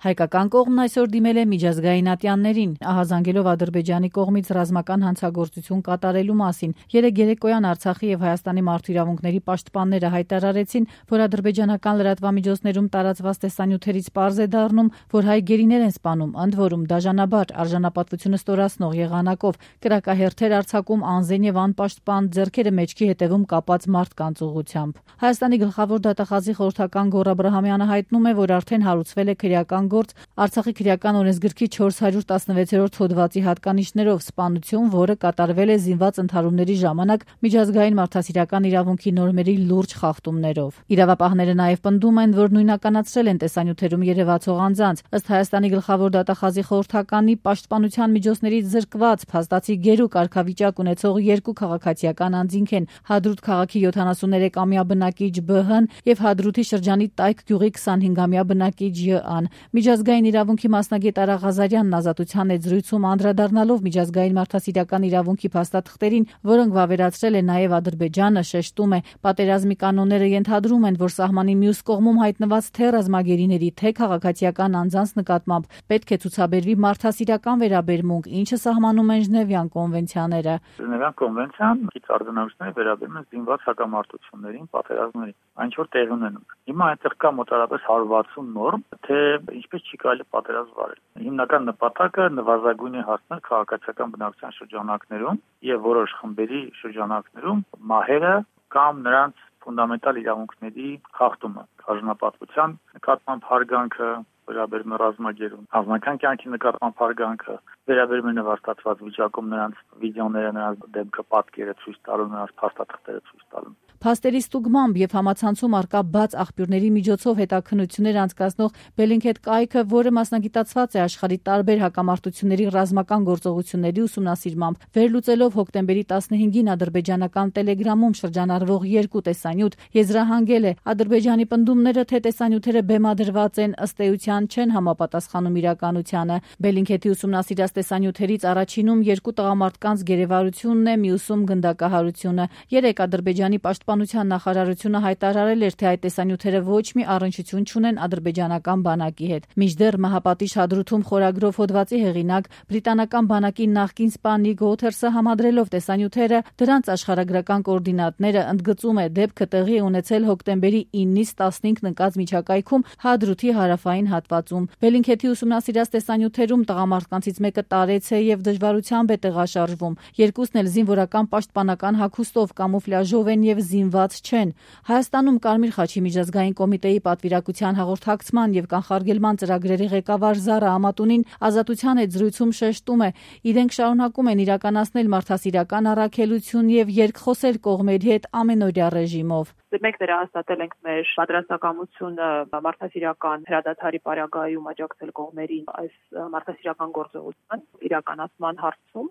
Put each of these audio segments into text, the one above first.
Հայկական կողմն այսօր դիմել է միջազգային ատյաններին, ահազանգելով Ադրբեջանի կողմից ռազմական հանցագործություն կատարելու մասին։ Երեկ երեկոյան Արցախի եւ Հայաստանի մարդու իրավունքների պաշտպանները հայտարարեցին, որ ադրբեջանական լրատվամիջոցներում տարածված տեսանյութերից պարզ է դառնում, որ հայ գերիներ են սպանում, ընդ որում դաժանաբար արժանապատվությունը ստորացնող եղանակով, կրակահերթեր արձակում անզեն եւ անպաշտպան, ձեռքերը մեջքի հետևում կապած մարդկանց ուղղությամբ։ Հայաստանի գլխավոր դատախազի խորհրդական Գոռ Աբրահամյանը հայտնում է, որ արդեն հարուցվել է քրեական գործ Արցախի քրեական օրենսգրքի 416-րդ հոդվածի հատկանիշներով սպանություն, որը կատարվել է զինված ընդհարումների ժամանակ միջազգային մարդասիրական իրավունքի նորմերի լուրջ խախտումներով։ Իրավապահները նաև պնդում են, որ նույնականացրել են տեսանյութերում երևացող անձանց։ Ըստ Հայաստանի գլխավոր դատախազի խորհրդականի, պաշտպանության միջոցներից զրկված փաստացի գերու կարգավիճակ ունեցող երկու քաղաքացիական անձինք են Հադրութ քաղաքի 73-ամյա բնակիչ Բ.Հ.-ն եւ Հադրութի շրջանի Տայք գյուղի 25-ամյա բնակիչ J.A.-ն։ Միջազգային իրավունքի մասնագետ Արա Ղազարյանն ազատության հետ զրույցում անդրադառնալով միջազգային մարդասիրական իրավունքի փաստաթղթերին, որոնք վավերացրել է նաև Ադրբեջանը, շեշտում է, պատերազմի կանոնները ենթադրում են, որ սահմանի մյուս կողմում հայտնված թե ռազմագերիների, թե քաղաքացիական անձանց նկատմամբ պետք է ցուցաբերվի մարդասիրական վերաբերմունք, ինչը սահմանում են Ժնևյան կոնվենցիաները։ Ժնևյան կոնվենցիան իր արձանագրությունները վերաբերում են զինված հակամարտություններին, պատերազմներին, այն որ տեղի ունենում։ Հիմա այնտեղ կա մոտավորապես 160 նորմ, թե ինչպես չի կարելի պատերազմ վարել։ Հիմնական նպատակը նվազագույն է հասնել քաղաքացիական բնակչության շրջանակներում եւ որոշ խմբերի շրջանակներում մահերը կամ նրանց ֆունդամենտալ իրավունքների խախտումը, արժանապատվության նկատմամբ հարգանքը, վերաբերում է ռազմագերուն, անձնական կյանքի նկատմամբ հարգանքը, վերաբերում է նվաստացված վիճակում նրանց վիդեոները, նրանց դեմքը, պատկերը ցույց տալու, նրանց փաստաթղթերը ցույց տալու։ Փաստերի ստուգմամբ եւ համացանցում արկա բաց աղբյուրների միջոցով հետաքննություններ անցկացնող Bellingcat կայքը, որը մասնագիտացված է աշխարհի տարբեր հակամարտությունների ռազմական գործողությունների ուսումնասիրմամբ, վերլուծելով հոկտեմբերի 15-ին ադրբեջանական Telegram-ում շրջանառվող երկու տեսանյութ, եզրահանգել է Ադրբեջանի պնդումները, թե տեսանյութերը բեմադրված են, ըստ էության չեն համապատասխանում իրականությանը։ Bellingcat-ի ուսումնասիրած տեսանյութերից առաջինում երկու տղամարդկանց գերեվարությունն է, մյուսում գնդակահարությունը։ Երեք Ադրբեջանի պաշտպանության նախարարությունը հայտարարել էր, թե այդ տեսանյութերը ոչ մի առնչություն չունեն ադրբեջանական բանակի հետ։ Մինչդեռ մահապատիժ Հադրութում խորագրով հոդվածի հեղինակ բրիտանական բանակի նախկին սպա Նիկ Ուոթերսը համադրելով տեսանյութերը, դրանց աշխարհագրական կոորդինատները, ընդգծում է, դեպքը տեղի է ունեցել հոկտեմբերի 9-ից 15 ընկած միջակայքում Հադրութի հարավային հատվածում։ Bellingcat-ի ուսումնասիրած տեսանյութերում տղամարդկանցից մեկը տարեց է եւ դժվարությամբ է տեղաշարժվում։ Երկուսն էլ զինվորական պաշտպանական հագուստով, կամուֆլյաժով են եւ զինված չեն։ Հայաստանում Կարմիր խաչի միջազգային կոմիտեի պատվիրակության հաղորդակցման եւ կանխարգելման ծրագրերի ղեկավար Զարա Ամատունին ազատության հետ զրույցում շեշտում է, իրենք շարունակում են իրականացնել մարդասիրական առաքելություն եւ երկխոսել կողմերի հետ ամենօրյա ռեժիմով։ Մենք վերահաստատել ենք մեր պատրաստակամությունը մարդասիրական հրադադարի պարագայում աջակցել կողմերին այս մարդասիրական գործողության իրականացման հարցում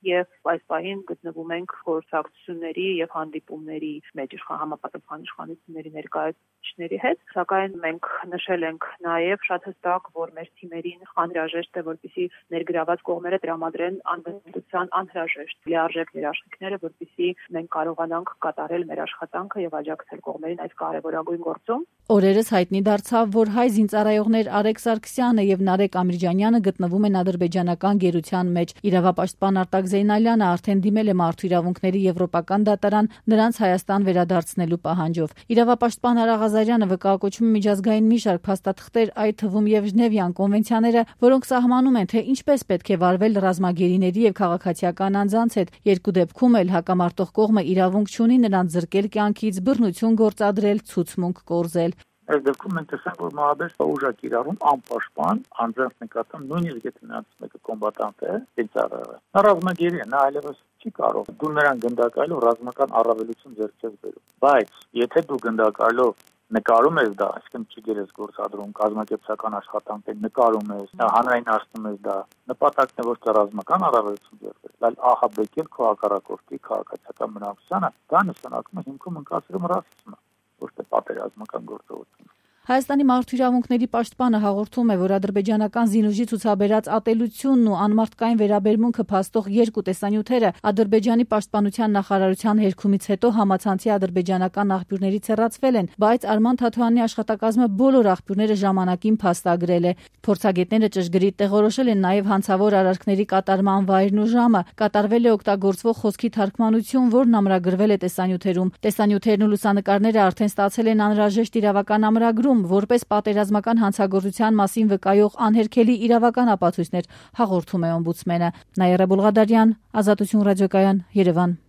եւ այս պահին գտնվում ենք խորհրդակցությունների եւ հանդիպումների մեջ համապատասխան իշխանությունների ներկայացուցիչների հետ, սակայն մենք նշել ենք նաեւ շատ հստակ, որ մեր թիմերին անհրաժեշտ է, որպեսզի ներգրաված կողմերը տրամադրեն անվտանգության անհրաժեշտ լիարժեք երաշխիքները, որպեսզի մենք կարողանանք կատարել մեր աշխատանքը եւ աջակցել կողմերին այս կարևորագույն գործում։ Օրերս հայտնի դարձավ, որ հայ զինծառայողներ Արեգ Սարգսյանը եւ Նարեկ Ամիրջանյանը գտնվում են ադրբեջանական գերության մեջ։ Իրավապաշտպան Արտակ Զեյնալյանը արդեն դիմել է մարդու իրավունքների եվրոպական դատարան նրանց Հայաստան վերադարձնելու պահանջով։ Իրավապաշտպան Արա Ղազարյանը վկայակոչում է միջազգային մի շարք փաստաթղթեր, այդ թվում եւ Ժնևյան կոնվենցիաները, որոնք սահմանում են, թե ինչպես պետք է վարվել ռազմագերիների եւ քաղաքացիական անձանց հետ։ Երկու դեպքում էլ հակամարտող կողմը իրավունք չունի նրանց զրկել կյանքից, բռնություն գործադրել, ցուցմունք կորզել։ Այս դեպքում մենք տեսանք, որ մահաբերս ուժակ իրարում անպաշտպան անձանց նկատմամբ, նույնիսկ եթե նրանց մեկը կոմբատանտ է, ծառայող է։ Նա ռազմագերի է, նա այլևս չի կարող։ Դու նրան գնդակայելով ռազմական առավելություն ձեռք չես բերում։ Բայց եթե դու գնդակայելով նկարում ես դա, այսինքն ճիգեր ես գործադրում, կազմակերպչական աշխատանք ես նկարում ես, հանրայնացնում ես դա, նպատակն է ոչ թե ռազմական առավելություն ձեռք բերել, այլ ահաբեկել քո հակառակորդի քաղաքացիական բնակչությանը, դա նշանակում է հիմքում ընկածում ռասիզմը, ոչ թե պատերազմական գործողություն։ Հայաստանի մարդու իրավունքների պաշտպանը հաղորդում է, որ ադրբեջանական զինուժի ցուցաբերած ատելությունն ու անմարդկային վերաբերմունքը փաստող երկու տեսանյութերը Ադրբեջանի պաշտպանության նախարարության հերքումից հետո համացանցի ադրբեջանական աղբյուրներից հեռացվել են, բայց Արման Թաթոյանի աշխատակազմը բոլոր աղբյուրները ժամանակին փաստագրել է։ Փորձագետները ճշգրիտ տեղորոշել են նաև հանցավոր արարքների կատարման վայրն ու ժամը։ Կատարվել է օգտագործվող խոսքի թարգմանություն, որն ամրագրվել է տեսանյութերում։ Տեսանյութերն ու լուսանկարները արդեն ստացել են անհրաժեշտ իրավական ամրագրում, որպես պատերազմական հանցագործության մասին վկայող անհերքելի իրավական ապացույցներ, հաղորդում է օմբուդսմենը։ Նաիրա Բուլղադարյան, Ազատություն ռադիոկայան, Երևան։